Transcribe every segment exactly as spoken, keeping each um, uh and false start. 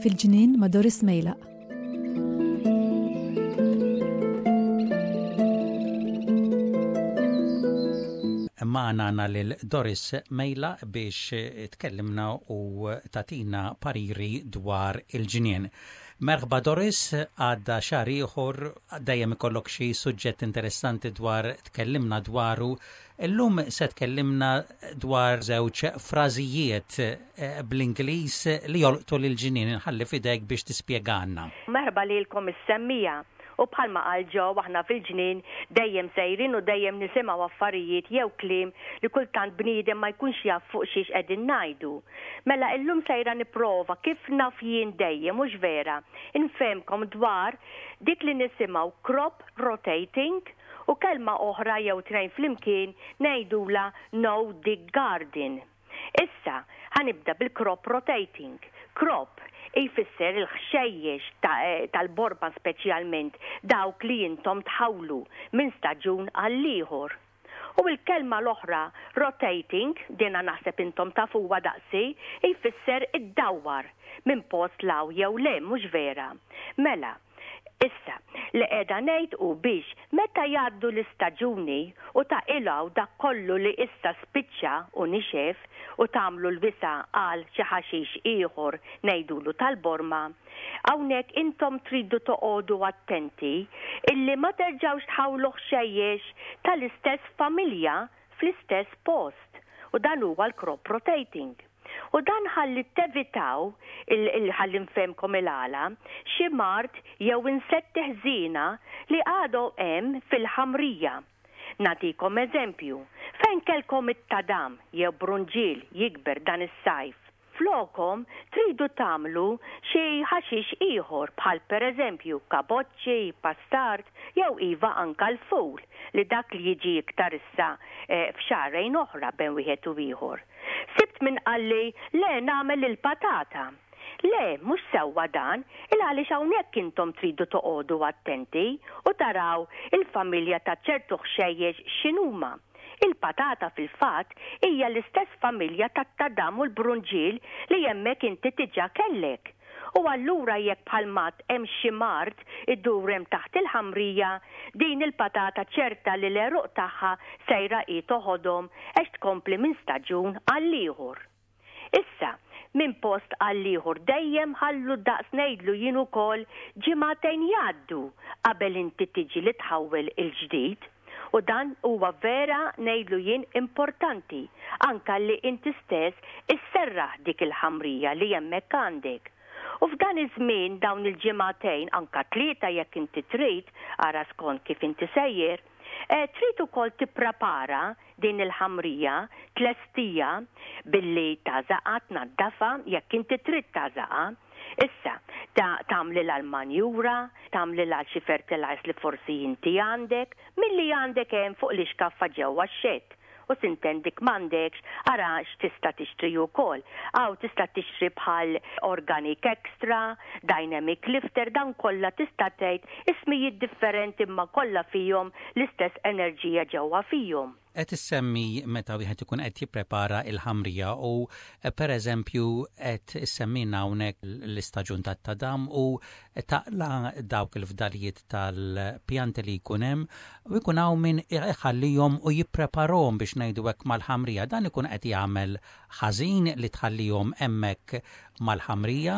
Fil-ġnien ma' Doris Mejlaq. Magħna għandna lil Doris Mejlaq biex tkellimna u tagħtina pariri dwar il-ġnien. Merħba Doris, għadda xahar ieħor, dejjem ikollok xi suġġett interessanti dwar tkellimna dwaru. Illum se tkellimna dwar żewġ frażijiet eh, bl-Ingliż li jolqtu lil ġnien inħalli f'idejk biex tispjegalna. Merħba lilkom is-semmiegħa. U bħalma qal Joe, aħna fil-ġnien dejjem sejrin u dejjem nisimgħu affarijiet jew kliem li kultant bniedem ma jkunx jaf fuq xiex qegħdin ngħidu. Mela illum sejra nipprova kif naf jien dejjem, mhux vera, infehmkom dwar dik li nisimgħu crop rotating u kelma oħra jew tnejn flimkien ngħidula no dig garden. Issa, ħa nibda bil-crop rotating. Crop jfisser il-ħxejjex tal-borma, speċjalment dawk li intom tħawlu minn staġun għall-ieħor. U il-kelma l-oħra rotating, dina naħseb intom tafuha daqsi, jfisser id-dawwar minn post 'l hawn jew 'l hemm, mhux vera? Mela, issa, li qiegħda ngħid u biex meta jgħaddu l-istaġuni u taqilgħu dak kollu li issa spiċċa u nixef u tagħmlu l-wisa għal xi ħaxix ieħor ngħidulu tal-borma, hawnhekk intom tridu toqogħdu attenti illi ma terġgħux tħawlu ħxejjex tal-istess familja fl-istess post. U dan huwa l-crop rotating. U dan ħalli tevitaw, ħalli nfehmkom il-għala, xi mard jew insetti ħżiena li għadhom hemm fil-ħamrija. Nagħtikom eżempju, fejn kellkom it-tadam jew brunġiel jikber dan is-sajf, flokom tridu tagħmlu xi ħaxix ieħor bħal pereżempju kaboċċi, pastard jew iva anka l-ful li dak li jiġi iktar issa eh, f'xahrejn oħra bejn wieħed u ieħor. Sibt min qalli le, nagħmel il-patata. Le, mhux sewwa dan, il għaliex hawnhekk intom tridu toqogħdu attenti u taraw il-familja ta' ċertu ħxejjex x'inhuma. Il-patata fil-fatt hija l-istess familja tat-tadam u l-brunġiel li hemmhekk inti diġà kellek. U allura jekk bħalmat hemm xi mard iddur hemm taħt il-ħamrija, din il-patata ċerta li l-għeruq tagħha sejra hi toħodhom għax tkompli minn staġun għal ieħor. Issa, minn post għal ieħor dejjem ħallu daqs ngħidlu jien ukoll ġimagħtejn jgħaddu qabel inti tiġi li tħawwel il-ġdid. U dan huwa vera ngħidlu jien importanti anka li inti stess isserraħ dik il-ħamrija li hemmhekk għandek. U f'dan iż-żmien, dawn il-ġimagħtejn, anka tlieta jekk inti trid, ara skont kif inti sejjer, eh, trid ukoll tipprepara din il-ħamrija, tlestija billi tagħżaqha, tnaddafa jekk inti trid tagħżaqha. Issa, ta' tagħmlilha l-manjura, tagħmlilha xi fertilizer li forsi inti għandek, milli għandek hemm fuq l-iskaffa ġewwa x-shed. U s'intendik m'għandekx, ara x'tista' tixtri wkoll. Aw tista' tixtri bħal Organic Extra, Dynamic Lifter, dan kollha tista' tgħid ismijiet differenti imma kollha fihom l-istess enerġija ġewwa fihom. Qed issemmi meta wieħed ikun qed jipprepara il-ħamrija u pereżempju qed issemmina hawnhekk l-istaġun tat-tadam u taqla dawk il-fdalijiet tal-pjanti li jkun hemm u jkun hawn min iħallihom u jippreparahom biex ngħidu hekk mal-ħamrija. Dan ikun qed jagħmel ħażin li tħallihom hemmhekk mal-ħamrija?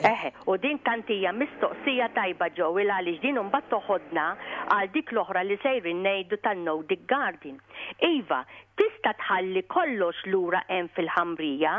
Eħe, u din tant hija mistoqsija tajba, Joe, għaliex din imbagħad toħodna għal dik l-oħra li sejrin ngħidu tan-no dig garden. Iva, tista' tħalli kollox lura hemm fil-ħamrija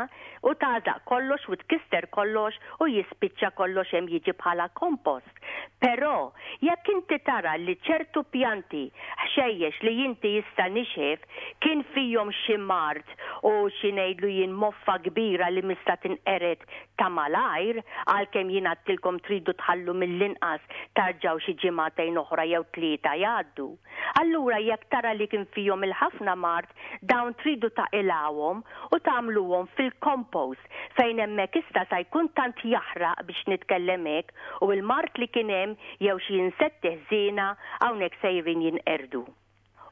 u tagħżaq kollox u tkisser kollox u jispiċċa kollox hemm, jiġi bħala kompost. Però jekk inti tara li ċertu pjanti, ħxejjex li inti issa nixef kien fihom xi mard u xi ngħidlu jien moffa kbira li mista tinqered ta' malajr, għalkemm jien għedtilkom tridu tħallu mill-inqas tarġaw xi ġimagħtejn oħra jew tlieta jgħaddu. Allura jekk tara li kien fihom il-ħafna mard, dawn tridu taqilgħuhom u tagħmluhom fil-compost fejn hemmhekk issa sa jkun tant jaħraq, biex nitkellem hekk, u l-mard li kien hemm jew xi insetti ħżiena hawnhekk sejrin jinqerdu.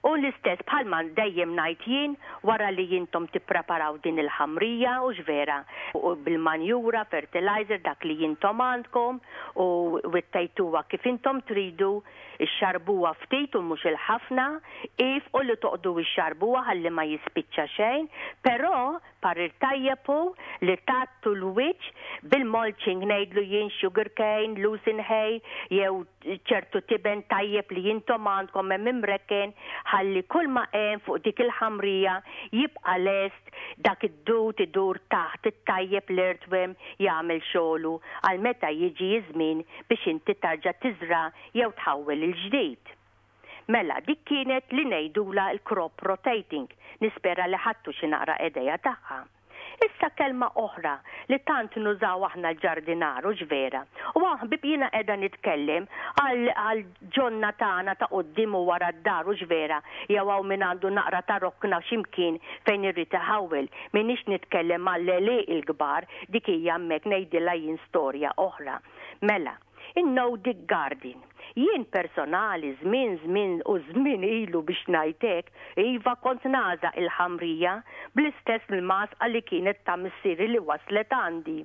U l-istess bħalma dejjem ngħid jien, wara li intom tippreparaw din il-ħamrija u vera u bil-manjura, fertilizer, dak li intom għandkom u wittejtuha kif intom tridu, ixxarbuha ftit u mhux il-ħafna, if u li toqdu ixxarbuha ħalli ma jispiċċa xejn, però parir tajjeb hu li tgħattu l-wiċċ bil-mulching, ngħidlu jien sugar cane, lucerne hay, jew ċertu tiben tajjeb li intom għandkom hemm imrekken, ħalli kull ma hemm fuq dik il-ħamrija jibqa' lest dak id-dud idur taħt it-tajjeb, l-earthworm jagħmel xogħlu għal meta jiġi żmien biex inti tarġa' tiżra jew tħawwel il-ġdid. Mela, dik kienet li ngħidula l-crop rotating. Nispera li ħadtu xi naqra idea tagħha. Issa kelma oħra li tant nużaw aħna l-ġardinaru ġvera. U ħbieb, jiena qiegħda nitkellem għal ġonna tagħna ta' quddiem u wara d-dar u ġvera, jew hawn min għandu naqra ta' rokna x'imkien fejn irrid iħawwel. Minix nitkellem għall il-kbar, dik hija hemmhekk ngħidilha jien storja oħra. Mela, in-no dig garden. Jien personali żmien żmien u żmien ilu, biex ngħidlek, iva, kont nagħżaq il-ħamrija bl-istess l-magħżqa li kienet ta' missieri li waslet għandi.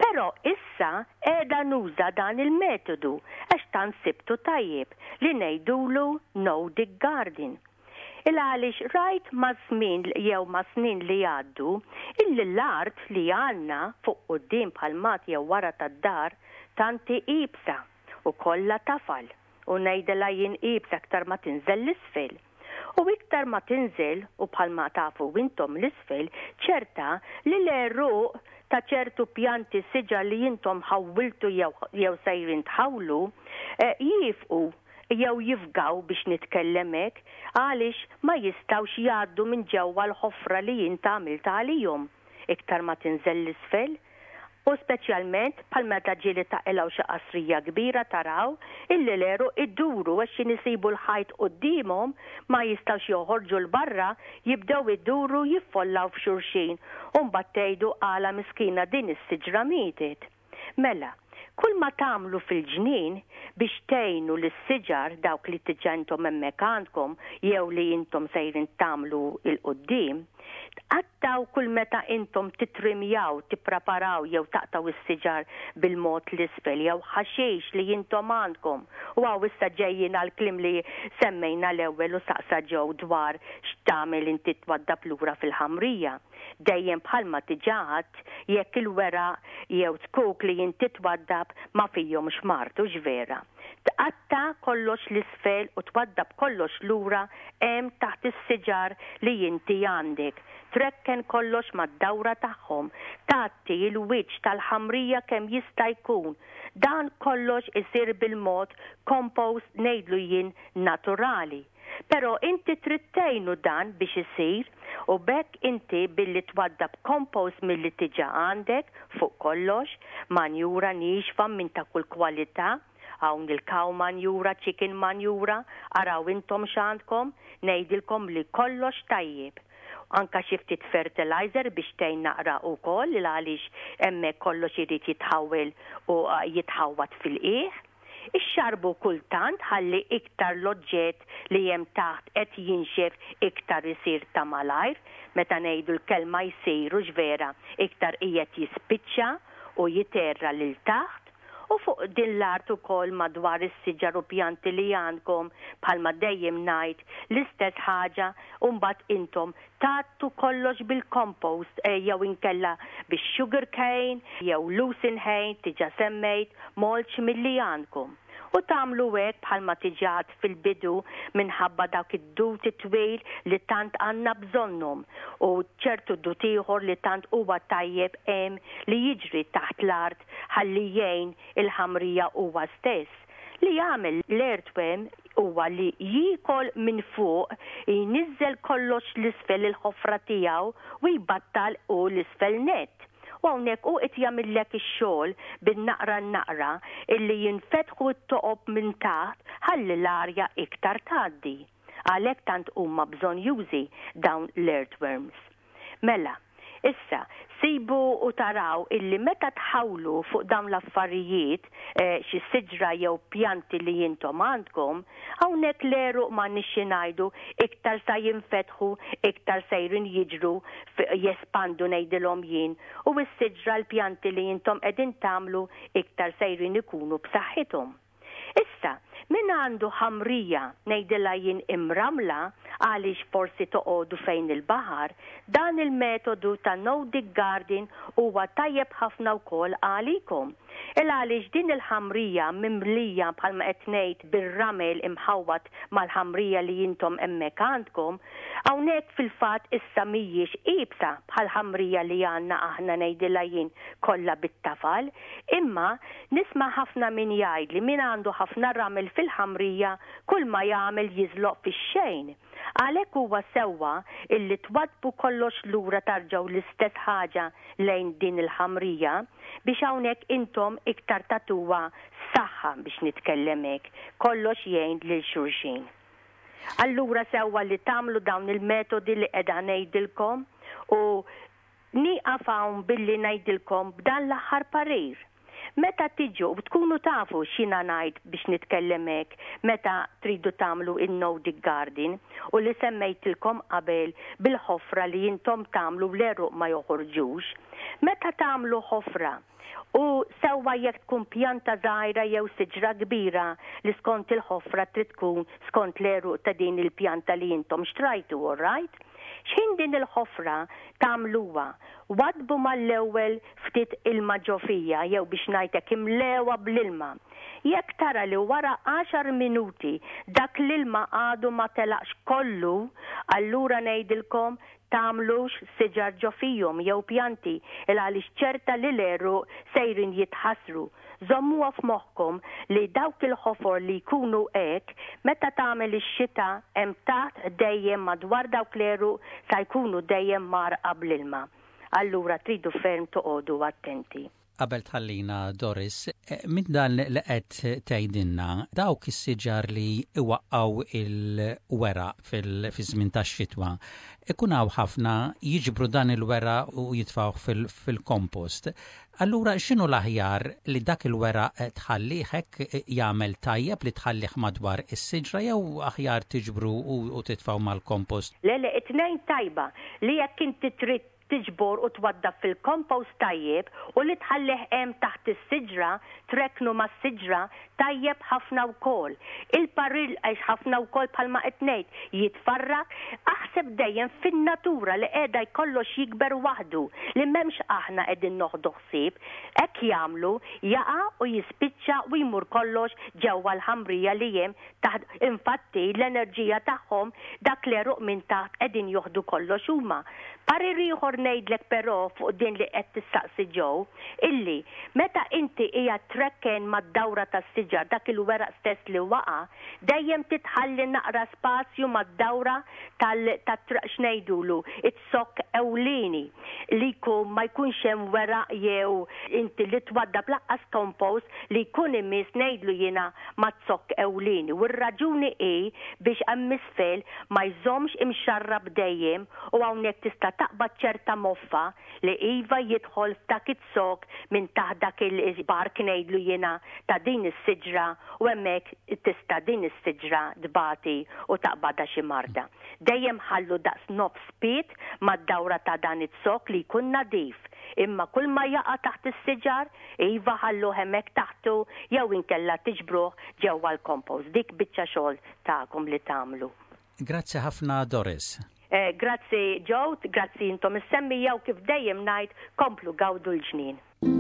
Però issa qiegħda nuża dan il-metodu għax tant sibtu tajjeb li ngħidulu no dig garden. Il għaliex rajt ma' żmien jew ma' snin li għaddu illi l-art li għandna fuq quddiem bħal mat jew wara tad-dar tant hi iebsa u kollha tafal u ngħidilha jien iebsa aktar ma tinżel l-isfel. U iktar ma tinżel, u bħalma tafu intom l-isfel, ċerta li l-għeruq ta' ċertu pjanti, siġar li intom ħawwiltu jew, jew sejrin tħawlu, eh, jifqu jew jifgaw, biex nitkellem hekk, għaliex ma jistgħux jgħaddu minn ġewwa l-ħofra li jint għamilt għalihom iktar ma tinżel l-isfel. U speċjalment bħal meta ġieli taqilgħu xi qasrija kbira, taraw illi l-għeruq iduru għax isibu l-ħajt quddiemhom, ma jistgħux joħorġu 'l barra, jibdew iduru, jiffollaw f'xulxin u mbagħad tgħidu għala miskina din is-siġra mietet. Mela, kull ma tagħmlu fil-ġnien biex tgħinu lis-siġar, dawk li diġà intom hemmhekk għandkom jew li intom sejrin tagħmlu 'l quddiem, tqattgħu kull meta intom titrimjaw, tippreparaw jew taqtgħu is-siġar bil-mod l-isfel jew ħaxix li intom għandkom. U hawn issa ġejjin għal kliem li semmejna l-ewwel u saqsa ġew dwar x'tagħmel inti twaddab lura fil-ħamrija. Dejjem bħalma diġà għedt, jekk il-weraq jew zkuk li inti twaddab ma fihomx mard u ġvera. Tqatta' kollox l-isfel u twaddab kollox lura hemm taħt is-siġar li inti għandek. Trekken kollox mad-dawra tagħhom, tgħatti il-wiċċ tal-ħamrija kemm jista' jkun. Dan kollox isir bil-mod compost, ngħidlu jien naturali. Però inti trid tgħinu dan biex isir u b'hekk inti billi twaddab compost milli diġà għandek fuq kollox, manjura niexfa minn ta' kull kwalità, hawn il-cow manjura, chicken manjura, araw intom x'għandkom, ngħidilkom li kollox tajjeb. Anka xi ftit fertilizer biex tgħin naqra wkoll, għaliex hemmhekk kollox irid jitħawel u jitħawat fil-qiegħ. Ixxarbu kultant ħalli iktar l-oġġett li hemm taħt qed jinxef iktar isir ta' malajr, meta ngħidu l-kelma jsiru ġvera iktar qiegħed jispiċċa u jiterra lil taħt. U fuq din l-art ukoll madwar is-siġar u pjanti li għandkom, bħalma dejjem ngħid l-istess ħaġa, u mbagħad intom tgħattu kollox bil-compost eh, jew inkella bix-sugar cane jew lucerne hay, diġà semmejt, mulch milli għandkom. U tagħmlu hekk bħalma diġà għedt fil-bidu minħabba dak id-dut twil li tant għandna bżonnhom u ċertu dut ieħor li tant huwa tajjeb hemm li jiġri taħt l-art ħalli jgħin il-ħamrija huwa stess. Li jagħmel l-earthworm huwa li jiekol minn fuq, jniżżel kollox l-isfel il-ħofra tiegħu u jbattal u l-isfel net. U hawnhekk u qed jagħmillek ix-xogħol bin-naqra naqra illi jinfetħu t-toqob minn taħt ħalli l-arja iktar tgħaddi. Għalhekk tant huma bżonnjużi dawn l-earthworms. Mela, Issa, sibu u taraw illi meta tħawlu fuq dawn l-affarijiet eh, xi siġra jew pjanti li intom għandkom, hawnhekk l-għeruq ma nixxi ngħidu iktar sa jinfetħu, iktar sejrin jiġru, jespandu ngħidilhom jien, u s-siġra l-pjanti li intom qegħdin tagħmlu iktar sejrin ikunu b'saħħithom. Issa, min għandu ħamrija ngħidilha jien imramla għaliex forsi toqogħdu fejn il-baħar, dan il-metodu ta' no dig garden huwa tajjeb ħafna wkoll għalikom. Il għaliex din il-ħamrija mimlija bħalma qed ngħid bir-ramel imħawwat mal-ħamrija li intom hemmhekk għandkom, hawnhekk fil-fatt issa mhijiex iebsa bħal ħamrija li għandna aħna ngħidilha jien kollha bit-tafal, imma nisma' ħafna min jgħid li min għandu ħafna ramel fil-ħamrija kull ma jagħmel jiżloq fix-xejn. Għalhekk huwa sewwa illi twaddbu kollox lura tarġgħu l-istess ħaġa lejn din il-ħamrija biex hawnhekk intom iktar tagħtuha saħħa biex nitkellem hekk. Kollox jgħin lil xulxin. Allura sewwa li tagħmlu dawn il-metodi li qiegħda ngħidilkom u nieqaf hawn billi ngħidilkom b'dan l-aħħar parir. Meta tiġu u tkunu tafu x'jiena ngħid biex nitkellem hekk meta tridu tagħmlu in-no dig garden u li semmejtilkom qabel bil-ħofra li intom tagħmlu l-għeruq ma joħorġux. Meta tagħmlu ħofra u sewwa jekk tkun pjanta żgħira jew siġra kbira li skont il-ħofra trid tkun skont l-għeruq ta' din il-pjanta li intom xtrajtu, all right? X'ħin din il-ħofra tagħmluha, waddbu mal-ewwel ftit ilma ġo fiha jew biex ngħidlek imlewha bl-ilma. Jekk tara li wara għaxar minuti dak l-ilma għadu ma telaqx kollu, allura ngħidilkom tagħmlux siġar ġo fihom jew pjanti il għaliex ċerta li l-għeruq sejrin jitħassru. Żommuha f'moħħkom li dawk il-ħofor li jkunu hekk meta tagħmel ix-xita hemm taħt dejjem madwar dawk l-għeruq sa jkunu dejjem mgħarrqa bl-ilma. Allura tridu ferm toqogħdu attenti. Qabel tħallina Doris, eh, minn dan li qed tgħidilna dawk is-siġar li iwaqqgħu il-weraq fil-żmien tax-xitwa, ikun hawn ħafna jiġbru dan il-weraq u jitfgħuh fil-kompost. Allura x'inhu l-aħjar li dak il-weraq tħallih hekk jagħmel tajjeb li tħallih madwar is-siġra jew aħjar tiġbru u titfgħu mal-kompost? Le, le, it-tnejn tajba li jekk inti trid tiġbor u twaddab fil-kompost tajjeb u li tħallih hemm taħt is-siġra, trekknu mas-siġra tajjeb ħafna wkoll. Il-parir għax ħafna wkoll bħalma qed ngħid jitfarrak, aħseb dejjem fin-natura li qiegħda jkollox jikber waħdu li m'hemmx aħna qegħdin noħdu ħsieb, hekk jagħmlu jaqa' u jispiċċa u jmur kollox ġewwa l-ħamrija li hemm taħt. Infatti l-enerġija tagħhom dak l-għeruq minn taħt qegħdin joħdu kollox huma. Parir ieħor ngħidlek però fuq din li qed tistaqsi ġew, illi meta inti hija trekken mad-dawra tas-siġar dak il-weraq stess li waqa', dejjem titħalli naqra spazju mad-dawra tal x'ngħidulu it-zokk ewlieni li jkun ma jkunx hemm weraq jew inti li twaddab lanqas compost li jkun imiss ngħidlu jiena maz-zokk ewlieni. U r-raġuni hi biex hemm isfel ma jżommx imxarrab dejjem u hawnhekk tista' taqbad ċerta moffa li iva jidħol f'dak iz-zokk minn taħt dak il-bark ngħidlu jiena ta' din is-siġra u hemmhekk tista' din is-siġra tbati u taqbadha xi marda. Dejjem ħallu daqs nofs pied mad-dawra ta' dan iz-zokk li jkun nadif. Imma kull ma jaqa' taħt is-siġar, iva ħallu hemmhekk taħtu jew inkella tiġbruh ġewwa l-kompost. Dik biċċa xogħol tagħkom li tagħmlu. Grazzi ħafna Doris. Eh, grazzi Joe, grazzi intom is-semmiegħa u kif dejjem ngħid komplu gawdu l-ġnien.